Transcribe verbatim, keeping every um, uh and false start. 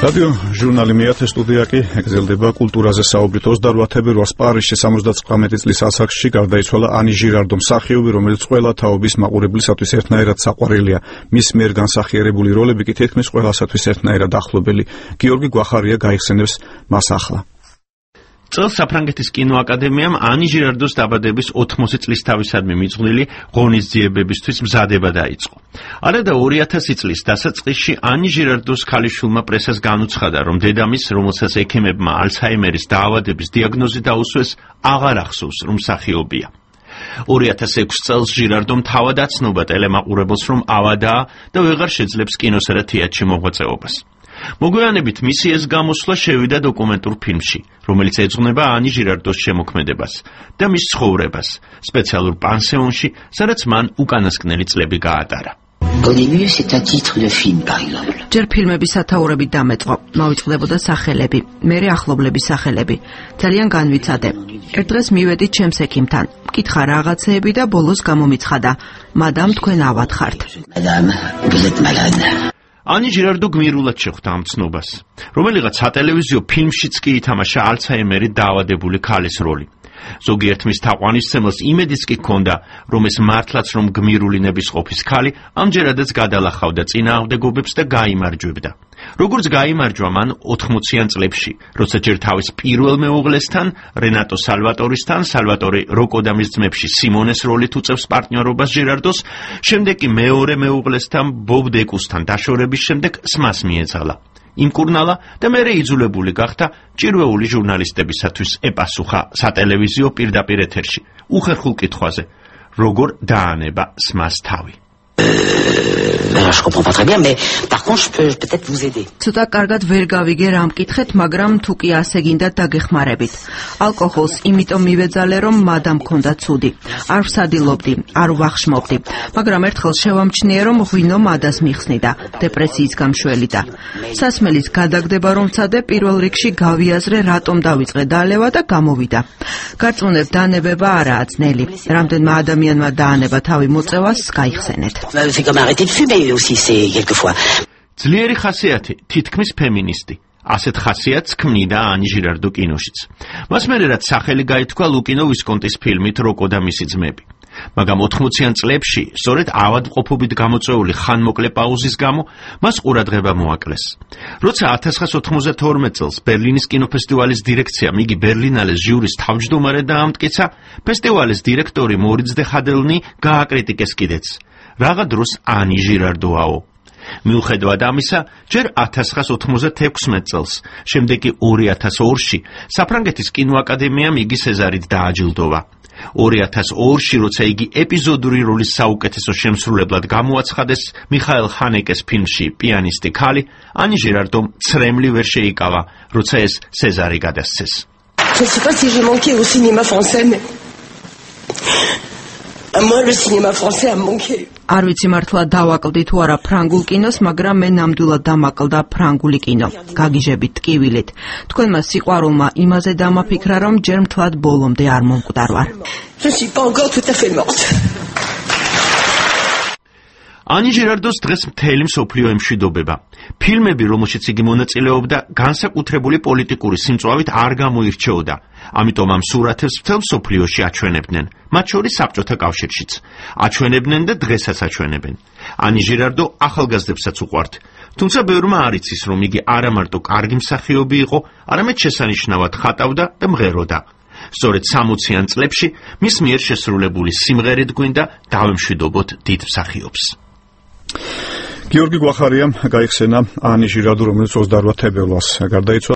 რადიო ჟურნალი მეათე სტუდია კი ეკრძელდება კულტურაზე საუბრით. ოცდაოთხ თებერვალს პარიზში სამოცდათვრამეტი წლის ასაკში გარდაიცვალა ანი ჟირარდო, მსახიობი, რომელიც ყველა თაობის მაყურებლისათვის ერთნაირად საყვარელია. მის მიერ განსახიერებული როლები კი თითქმის ყველასათვის ერთნაირად ახლობელი. გიორგი გვახარია გაიხსენებს მას ახლა. წელს საფრანგეთის კინოაკადემიამ ანი ჟირარდოს დაბადების ოთხმოცი წლის თავისადმი მიძღვნილი ღონისძიებებისთვის მზადება დაიწყო. არადა ორი ათასი წლის დასაწყისში ანი ჟირარდოს ქალიშვილმა პრესას განუცხადა, რომ დედამის, რომელსაც ექიმებმა ალცჰაიმერის დაავადების დიაგნოზი დაუსვეს, აღარ ახსოვს, რომ მსახიობია. ორი ათას ექვსი წელს ჟირარდომ თავად აცნობა ტელემაყურებელს, რომ ავადაა და ვეღარ შეძლებს კინოსა და თეატრში მოღვაწეობას. მოგვიანებით მისი ეს გამოსვლა შევიდა დოკუმენტურ ფილმში, რომელიც ეძღვნება ანი ჟირარდოს შემოქმედებას და მის ცხოვრებას, სპეციალურ პანსიონში, სადაც მან უკანასკნელი წლები გაატარა. ჯერ ფილმების სათაურებით დამეწყო, მოვიწყდებოდა სახელები, მერე ახლობლების სახელები. ძალიან განვიცადე. ერთ დღეს მივედი ჩემს ექიმთან, მკითხა რაღაცეები და ბოლოს გამომიცხადა, მადამ, თქვენ ავად ხართ. ანი ჟირარდო გმირულად შეხვდა ამ ცნობას. რომელიღაც სატელევიზიო ფილმშიც კი ითამაშა ალცჰაიმერით დაავადებული ქალის როლი. ზოგიერთ მის თაყვანისმცემელს იმედიც კი ჰქონდა, რომ ეს მართლაც რომ გმირული ნებისყოფის ქალი ამჯერადაც გადალახავდა წინააღმდეგობებს და გაიმარჯვებდა. როგორც გაიმარჯვა მან ოთხმოციან წლებში, როცა ჯერ თავის პირველ მეუღლესთან, რენატო სალვატორისთან, სალვატორი როკოდამის ძმებში სიმონეს როლით უწევს პარტნიორობას ჟირარდოს, შემდეგ კი მეორე მეუღლესთან, ბობ დეკუსთან დაშორების შემდეგ სმას მიეძალა. იმკურნალა და მერე იძულებული გახდა ჭირვეული ჟურნალისტებისათვის ეპასუხა სატელევიზიო პირდაპირ ეთერში, უხერხულ კითხვაზე, როგორ დაანება სმას თავი. ცოტა კარგად ვერ გავიგე რა მკითხეთ, მაგრამ თუ კი ასე გინდათ დაგეხმარებით. ალკოჰოლს იმიტომ მივეძალე, რომ მადამ მქონდა ცუდი. არ ვსადილობდი, არ ვახშმობდი, მაგრამ ერთხელ შევამჩნიე, რომ ღვინო მადას მიხსნიდა, დეპრესიის გამშველიდა. სასმელის გადაგდება რომ ვცადე, პირველ რიგში გავიაზრე, რატომ დავიწყე დალევა და გამოვიდა. გარწმუნებ დანებება არაა ძნელი. რამდენმა ადამიანმა დაანება თავი მოწევას, გაიხსენეთ. ძლიერი ხასიათი, თითქმის ფემინისტი. ასეთ ხასიათს ქმნიდა ანი ჟირარდო კინოშიც. მას მერე რაც სახელი გაითქვა ლუკინო ვისკონტის ფილმით როკო და მისი ძმები. მაგრამ ოთხმოციან წლებში, სწორედ ავადმყოფობით გამოწვეული ხანმოკლე პაუზის გამო, მას ყურადღება მოაკლეს. როცა ათას ცხრაასი ოთხმოცდათორმეტ წელს ბერლინის კინოფესტივალის დირექციამ იგი ბერლინალეს ჟიურის თავმჯდომარედ დაამტკიცა, ფესტივალის დირექტორი მორიც დე ხადელნი გააკრიტიკეს კიდეც. რაღა დროს ანი ჟირარდოაო. მიუხედავად ამისა, ჯერ ათას ცხრაასი ოთხმოცდათექვსმეტ წელს, შემდეგ კი ორი ათას ორში საფრანგეთის კინოაკადემიამ იგი სეზარით დააჯილდოვა. ორი ათას ორში, როცა იგი ეპიზოდური როლის საუკეთესო შემსრულებლად გამოაცხადეს მიხაელ ჰანეკეს ფილმში პიანისტი ქალი, ანი ჟირარდომ ცრემლი ვერ შეიკავა, როცა ეს სეზარი გადასცეს. არ ვიცი მართლა დავაკლდი თუ არა ფრანგულ კინოს, მაგრამ მე ნამდვილად დამაკლდა ფრანგული კინო. გაგიჟებით ტკივილით. თქვენმა სიყვარულმა იმაზე დამაფიქრა, რომ ჯერ მთლად ბოლომდე არ მომკვდარ. ანი ჟირარდოს დღეს მთელი მსოფლიო ემშვიდობება. ფილმები, რომელშიც იგი მონაწილეობდა, განსაკუთრებული პოლიტიკური სიმწვავით არ გამოირჩეოდა. ამიტომ ამ სურათებს მთელ მსოფლიოში აჩვენებდნენ, მათ შორის საბჭოთა კავშირშიც. აჩვენებდნენ და დღესაც აჩვენებენ. ანი ჟირარდო ახალგაზრდებსაც უყვართ, თუმცა ბევრმა არ იცის, რომ იგი არა მარტო კარგი მსახიობი იყო, არამედ შესანიშნავად ხატავდა და მღეროდა. სწორედ სამოციან წლებში მის მიერ შესრულებული სიმღერით გვინდა დავემშვიდობოთ დიდ მსახიობს. გიორგი გვახარიამ გაიხსენა ანი ჟირარდო, რომელიც ოცდაოთხ თებერვალს გარდაიცვალა.